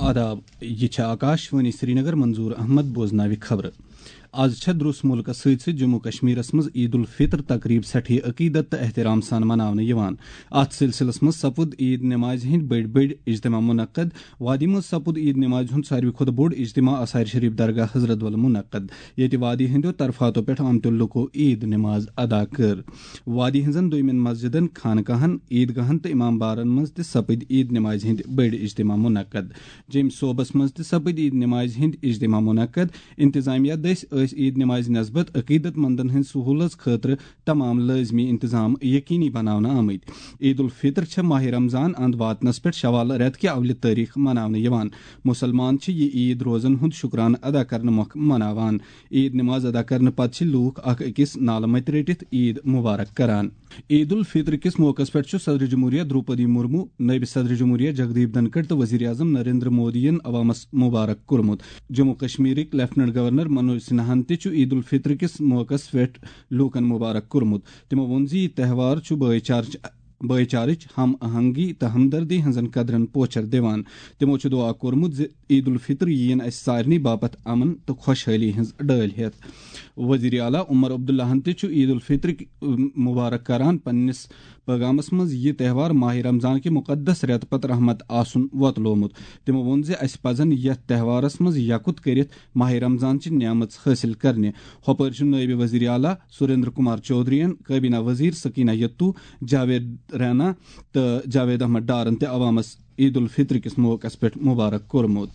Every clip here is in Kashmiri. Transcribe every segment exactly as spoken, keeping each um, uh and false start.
آداب، یہِ چھِ آکاش وانی سرینگر، منظور احمد بوزناوِ خبرٕ۔ از چھےٚ درٛوس مُلکس سۭتۍ سۭتۍ جموں کشمیرس منٛز عید الفطر تقریب سٮ۪ٹھٕے عقیدت تہٕ احترام سان مناونہٕ یِوان۔ اتھ سلسلس منٛز سپُد عید نمازِ ہٕنٛدۍ بٔڑۍ بٔڑۍ اجتماع منعقد۔ وادی منٛز سپُد عید نمازِ ہُنٛد ساروی کھۄتہٕ بوٚڑ اجتماع آثار شریف درگاہ حضرت ول منعقد، ییٚتہِ وادی ہٕنٛدیو طرفاتو پٮ۪ٹھ آمتیو لُکو عید نماز ادا کٔر۔ وادی ہٕنٛزن دوٚیمٮ۪ن مسجدن، خانقاہن، عیدگاہن تہٕ امام بارن منٛز تہِ سپٕدۍ عید نمازِ ہٕنٛدۍ بٔڑۍ اجتماع منعقد۔ جیٚمۍ صوبس منٛز تہِ سپٕدۍ عید نمازِ ہٕنٛدۍ اجتماع منعقد۔ انتظامیہ دٔسۍ ٲسۍ عید نمازِ نسبت عقیدت مندن ہٕنٛدِ سہوٗلژ خٲطرٕ تمام لٲزمی انتظام یقینی بناونہٕ آمٕتۍ۔ عید الفطر چھےٚ ماہ رمضان اند واتنس پٮ۪ٹھ شوال رٮ۪تہٕ کہِ اولہِ تٲریخ مناونہٕ یِوان۔ مُسلمان چھِ یہِ عید روزن ہُنٛد شُکرانہٕ ادا کرنہٕ مۄکھٕ مناوان۔ عید نماز ادا کرنہٕ پتہٕ چھِ لوٗکھ اکھ أکِس نالہٕ متہِ رٔٹِتھ عید مبارک کران۔ عید الفطر کِس موقعس پٮ۪ٹھ چھُ صدر جمہوریہ دروپدی مرمو، نٲیِب صدر جمہوریہ جگدیپ دھنکھڑ تہٕ وزیر اعظم نریندر مودیَن عوامس مبارک کوٚرمُت۔ جموں کشمیرٕکۍ لیفٹیننٹ گورنر منوج سنہاہن تہِ چھُ عید الفطر کِس موقعس پٮ۪ٹھ لوٗکن مبارک کوٚرمُت۔ تِمو ووٚن زِ یہِ تہوار چھُ بٲے چارٕچ بٲے چارٕچ، ہم آہنگی تہٕ ہمدردی ہٕنٛزن قدرن پوچھر دِوان۔ تِمو چھُ دعا کوٚرمُت زِ عید الفطر یِیِن اسہِ سارنٕے باپتھ امن تہٕ خۄشحٲلی ہٕنٛز ڈٲلۍ ہٮ۪تھ۔ وزیر اعلیٰ عمر عبداللہن تہِ چھُ عید الفطر مبارک کران۔ پننِس پیغامس منٛز یہِ تہوار ماہ رمضان کہِ مقدس رٮ۪تہٕ پتہٕ رحمت آسُن وۄتلومُت۔ تِمو ووٚن زِ اسہِ پزن یتھ تہوارس منٛز یکُت کٔرِتھ ماہ رمضان چہِ نعمژ حٲصِل کرنہِ۔ ہۄپٲرۍ چھُ نٲیِب وزیر اعلیٰ سریندر کمار چودھرین، کابینہ وزیر سکینہ یتو، جاوید رینا تہٕ جاوید احمد ڈارن تہِ عوامس عید الفطر کِس موقعس پٮ۪ٹھ مبارک کوٚرمُت۔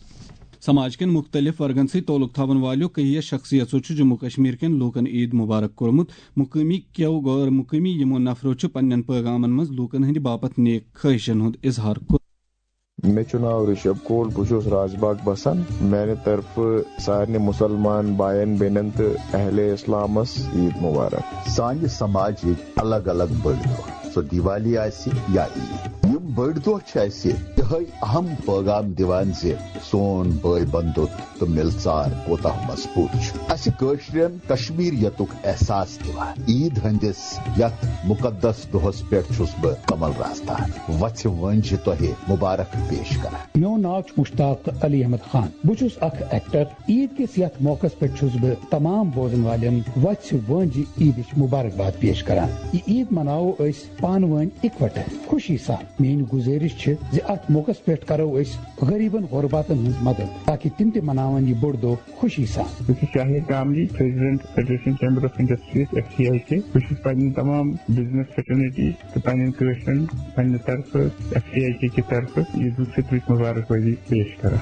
سماج کٮ۪ن مُختٔلِف ورگن سۭتۍ تعلق تھاون والیو کہیہ شخصیژو چھُ جموں کشمیر کٮ۪ن لوٗکن عید مبارک کوٚرمُت۔ مقٲمی کیو غٲر مقٲمی یِمو نفرو چھُ پننٮ۪ن پیغامن منٛز لوٗکن ہٕنٛدِ باپتھ نیک خٲہشن ہُنٛد اظہار کوٚرمُت۔ مےٚ چھُ ناو رِشب کوٹ، بہٕ چھُس راج باغ بسان۔ میانہِ طرفہٕ سارنٕے مُسلمان باین بیٚنٮ۪ن تہٕ اہلِ اسلامس عید مبارک۔ سانہِ سماجٕکۍ الگ الگ بٔڑۍ دۄہ، سۄ دیوالی آسہِ یا عید، یِم بٔڑۍ دۄہ چھِ اَسہِ یِہوٚے اہم پٲغام دِوان زِ سون بٲے بندُت تہٕ مِلژار کوتاہ مضبوٗط چھُ۔ اَسہِ کٲشرٮ۪ن کشمیریتُک احساس دِوان۔ عید ہٕنٛدِس یتھ مُقدس دۄہس پٮ۪ٹھ چھُس بہٕ کمل راز تہٕ وژھِ وٲنجہِ تۄہہِ مبارک پیش کران۔ میون ناو چھُ مشتاق علی احمد خان۔ بہٕ چھُس اکھ ایکٹر۔ عید کِس یتھ موقعس پٮ۪ٹھ چھُس بہٕ تمام بوزن والٮ۪ن وژھِ وٲنجہِ عیدٕچ مبارکباد پیش کران۔ یہِ عید مناوو أسۍ پانہٕ ؤنۍ اِکوٹہٕ خوشی سان۔ میٲنۍ گُزٲرِش چھِ زِ اتھ موقعس پٮ۪ٹھ کرو أسۍ غریبن غرباتن ہٕنٛز مدد، تاکہِ تِم تہِ مناون یہِ بوٚڑ دۄہ خوشی سان۔ بہٕ چھُس Shahid Kamili, president federation chamber of industries, F C I K. بہٕ چھُس پننٮ۪ن تمام بزنس فریٹرنٹی تہٕ پننٮ۪ن کٲشرٮ۪ن پننہِ طرفہٕ، ایف سی آئی کے کہِ طرفہٕ عید الفطرٕچ مبارکبادی پیش کران۔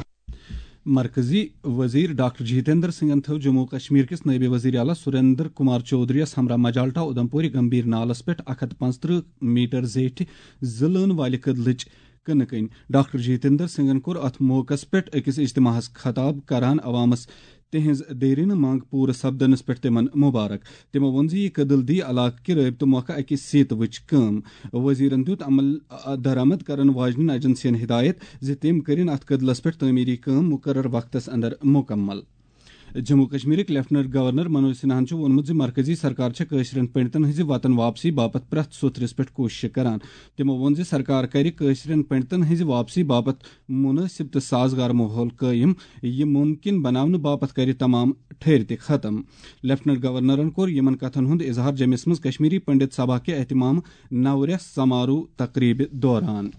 مرکزی وزیر ڈاکٹر جتیندر سنگھن تھٲو جموں و کشمیر کِس نٲیِب وزیر اعلیٰ سریندر کمار چودھری یَس ہمراہ مجالٹا اودھمپوری گمبھیر نالس پٮ۪ٹھ اکھ ہتھ پانٛژترٕہ میٹر زیٹھِ زٕ لٲن والہِ کٔدلٕچ کٕنہٕ کٔنۍ۔ ڈاکٹر جتیندر سنگھن کوٚر اتھ موقعس پٮ۪ٹھ أکِس اجتماعس خطاب کران عوامس تِہنٛز دیرینہٕ منٛگ پوٗرٕ سپدنس پٮ۪ٹھ تِمن مبارک۔ تِمو ووٚن زِ یہِ کٔدٕل دی علاقہٕ کہِ رٲبطہٕ موقعہٕ اکہِ سیتوٕچ کٲم۔ وزیرن دیُت عمل درآمد کرن واجنٮ۪ن ایجنسین ہدایت زِ تِم کٔرِن اتھ کٔدلس پٮ۪ٹھ تعمیری کٲم مقرر وقتس اندر مکمل۔ جموں کشمیرٕکۍ لیفٹیننٹ گورنر منوج سنہاہن چھُ ووٚنمُت زِ مرکزی سرکار چھےٚ کٲشرٮ۪ن پنڈتن ہٕنٛزِ وطن واپسی باپتھ پرٛٮ۪تھ سُتھرِس پٮ۪ٹھ کوٗششہٕ کران۔ تِمو ووٚن زِ سرکار کرِ کٲشرٮ۪ن پنڈتن ہٕنٛزِ واپسی باپتھ مُنٲسِب تہٕ سازگار ماحول قٲیِم، یہِ مُمکِن بناونہٕ باپتھ کرِ تمام ٹھٔرۍ تہِ ختم۔ لیفٹیننٹ گورنرن کوٚر یِمن کتھن ہُنٛد اظہار جمِس منٛز کشمیری پنڈت سبھا کہِ اہتمام نورس سماروہ تقریبہِ دوران۔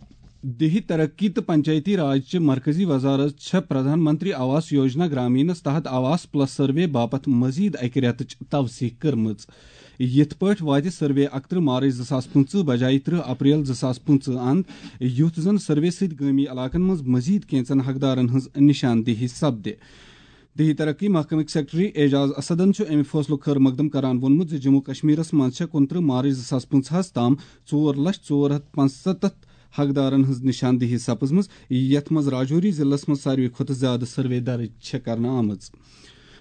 دیہی ترقی تہٕ پنچایتی راج چہِ مرکزی وزارت چھےٚ پردھان منتری آواس یوجنا گرامینس تحت آواس پلس سروے باپتھ مزید اکہِ رٮ۪تٕچ توثیق کٔرمٕژ۔ یِتھ پٲٹھۍ واتہِ سروے اکترٕہ مارچ زٕ ساس پٕنٛژٕہ بجایہِ ترٕہ اپریل زٕ ساس پٕنٛژٕہ اند، یُتھ زن سروے سۭتۍ گٲمی علاقن منٛز مزید کینژن حقدارن ہٕنٛز نشاندہی سپدِ۔ دیہی ترقی محکمٕکۍ سیکرٹری اعجاز اسدن چھُ امہِ فٲصلُک خٲر مقدم کران ووٚنمُت زِ جموں کشمیرس منٛز چھےٚ کُنترٕہ مارچ زٕ ساس پٕنٛژٕہس تام ژور لچھ ژور ہتھ پنٛژستتھ حقدارن ہٕنٛز نشاندہی سپٕزمٕژ، یتھ منٛز راجوری ضلعس منٛز ساروی کھۄتہٕ زیادٕ سروے درٕج چھےٚ کرنہٕ آمٕژ۔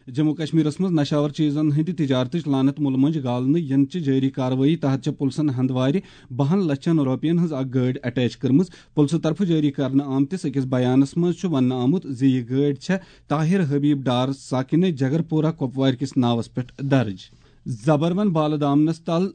جموں کشمیرس منٛز نشاور چیزن ہٕنٛدِ تجارتٕچ لعنت مُلہٕ مۄنجہِ گالنہٕ ینہٕ چہِ جٲری کاروٲیی تحت چھےٚ پُلسن ہندوارِ بہن لچھن رۄپین ہٕنٛز اکھ گٲڑۍ اٹیچ کٔرمٕژ۔ پُلسہٕ طرفہٕ جٲری کرنہٕ آمتِس أکِس بیانس منٛز چھُ وننہٕ آمُت زِ یہِ گٲڑۍ چھےٚ طاہر حبیب ڈار ساکنہِ جگرپورہ کۄپوارِ کِس ناوس پٮ۪ٹھ درٕج۔ زبروَن بالہٕ دامنس تل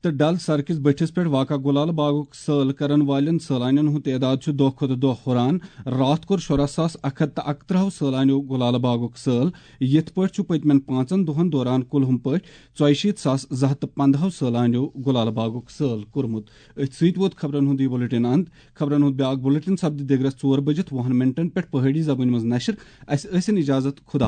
تہٕ ڈل سڑکہِ بٔٹھِس پٮ۪ٹھ واقع گُلالہٕ باغُک سٲل کرن والٮ۪ن سٲلانٮ۪ن ہُنٛد تعداد چھُ دۄہ کھۄتہٕ دۄہ ہُران۔ راتھ کوٚر شُراہ ساس اکھ ہتھ تہٕ اکترٛہو سٲلانیو گُلالہٕ باغُک سٲل، یِتھ پٲٹھۍ چھُ پٔتمٮ۪ن پانٛژن دۄہن دوران کُلہُم پٲٹھۍ ژۄیہِ شیٖتھ ساس زٕ ہتھ تہٕ پنٛداہو سٲلانیو گُلالہٕ باغُک سٲل کوٚرمُت۔ أتھۍ سۭتۍ ووت خبرن ہُنٛد یہِ بُلٹن اند۔ خبرن ہُنٛد بیاکھ بُلٹن سپدِ دِگرس ژور بٔجِتھ وُہن منٹن پٮ۪ٹھ پہٲڑی زبٲنۍ منٛز نشر۔ اسہِ ٲسِن اجازت، خدا۔